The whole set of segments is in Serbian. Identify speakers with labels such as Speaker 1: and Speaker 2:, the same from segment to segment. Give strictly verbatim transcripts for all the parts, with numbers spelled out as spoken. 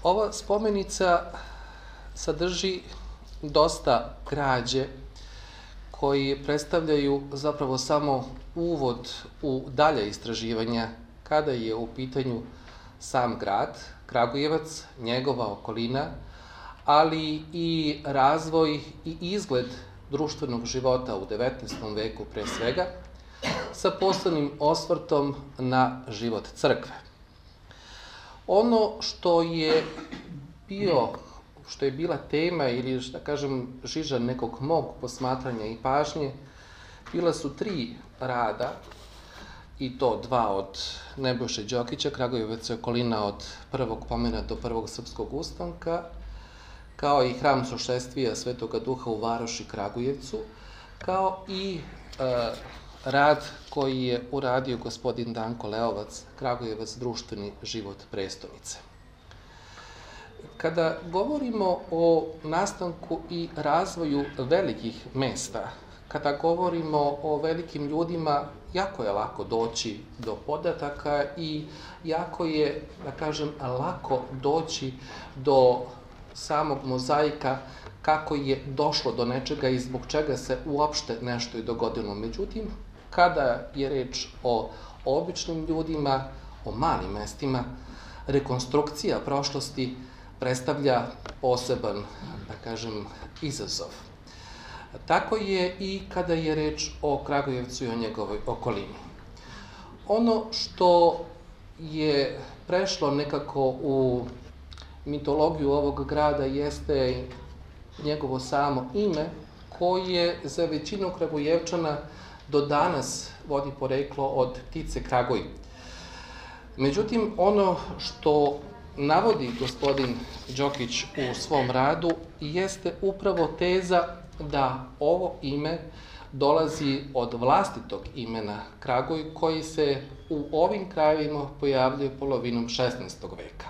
Speaker 1: Ova spomenica sadrži dosta građe koji predstavljaju zapravo samo uvod u dalje istraživanja kada je u pitanju sam grad, Kragujevac, njegova okolina, ali i razvoj i izgled društvenog života u devetnaestom veku pre svega, sa posebnim osvrtom na život crkve. Ono što je bio, što je bila tema ili, da kažem, žiža nekog mog posmatranja i pažnje, bila su tri rada, i to dva od Nebojše Đokića, Kragujevac i okolina od prvog pomena do prvog srpskog ustanka, kao i hram Sošestvija Svetoga Duha u Varoši Kragujevcu, kao i e, rad koji je uradio gospodin Danko Leovac, Kragujevac, društveni život prestonice. Kada govorimo o nastanku i razvoju velikih mesta, kada govorimo o velikim ljudima, jako je lako doći do podataka i jako je, da kažem, lako doći do samog mozaika kako je došlo do nečega i zbog čega se uopšte nešto i dogodilo. Međutim, kada je reč o običnim ljudima, o malim mestima, rekonstrukcija prošlosti predstavlja poseban, da kažem, izazov. Tako je i kada je reč o Kragujevcu i o njegovoj okolini. Ono što je prešlo nekako u mitologiju ovog grada jeste njegovo samo ime, koje za većinu Kragujevčana do danas vodi poreklo od ptice Kraguj. Međutim, ono što navodi gospodin Đokić u svom radu jeste upravo teza da ovo ime dolazi od vlastitog imena Kraguj, koji se u ovim krajevima pojavljuje polovinom šesnaestog veka.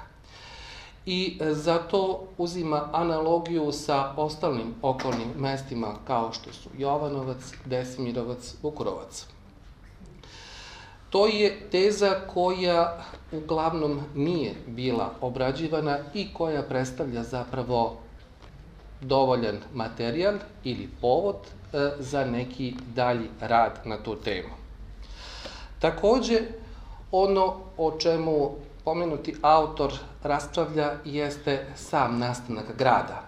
Speaker 1: I zato uzima analogiju sa ostalim okolnim mestima kao što su Jovanovac, Desimirovac, Vukurovac. To je teza koja uglavnom nije bila obrađivana i koja predstavlja zapravo dovoljan materijal ili povod za neki dalji rad na tu temu. Takođe, ono o čemu pomenuti autor raspravlja jeste sam nastanak grada.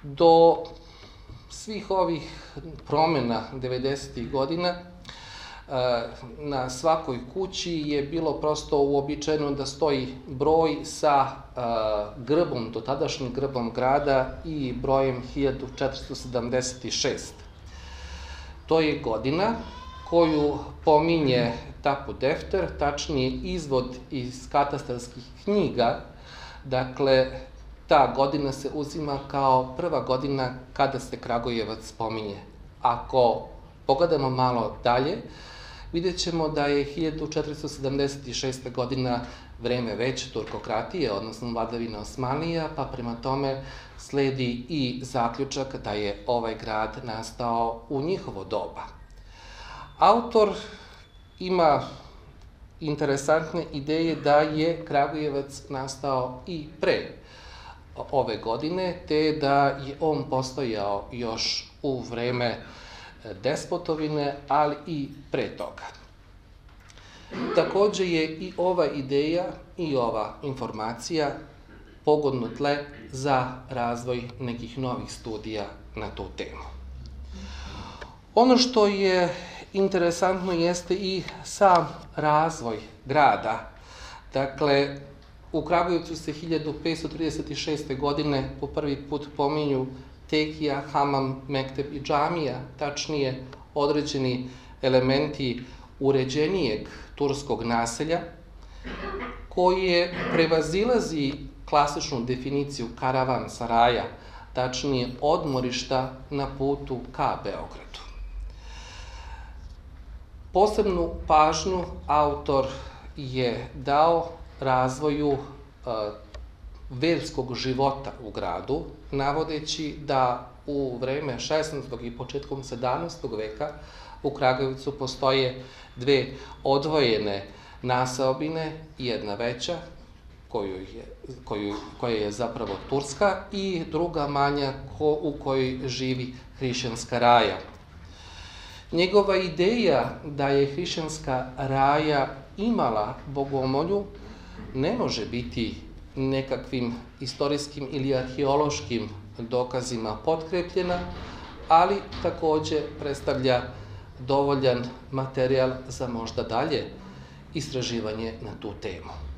Speaker 1: Do svih ovih promena devedesetih godina na svakoj kući je bilo prosto uobičajeno da stoji broj sa grbom, dotadašnjim grbom grada i brojem hiljadu četiristo sedamdeset šest. To je godina koju pominje Tapu Defter, tačnije izvod iz katastarskih knjiga. Dakle, ta godina se uzima kao prva godina kada se Kragujevac pominje. Ako pogledamo malo dalje, vidjet ćemo da je hiljadu četiristo sedamdeset šesta. godina vreme već turkokratije, odnosno vladavina Osmanlija, pa prema tome sledi i zaključak da je ovaj grad nastao u njihovo doba. Autor ima interesantne ideje da je Kragujevac nastao i pre ove godine, te da je on postojao još u vreme despotovine, ali i pre toga. Takođe je i ova ideja i ova informacija pogodno tle za razvoj nekih novih studija na tu temu. Ono što je interesantno jeste i sam razvoj grada. Dakle, u Kragujevcu se hiljadu petsto trideset šeste. godine po prvi put pominju tekija, hamam, mekteb i džamija, tačnije određeni elementi uređenijeg turskog naselja, koje prevazilazi klasičnu definiciju karavan saraja, tačnije odmorišta na putu ka Beogradu. Posebnu pažnju autor je dao razvoju verskog života u gradu, navodeći da u vreme šesnaestog i početkom sedamnaestog veka u Kragujevcu postoje dve odvojene naseobine, jedna veća koju je, koju, koja je zapravo Turska, i druga manja ko, u kojoj živi hrišćanska raja. Njegova ideja da je hrišćanska raja imala bogomolju ne može biti nekakvim istorijskim ili arheološkim dokazima potkrepljena, ali također predstavlja dovoljan materijal za možda dalje istraživanje na tu temu.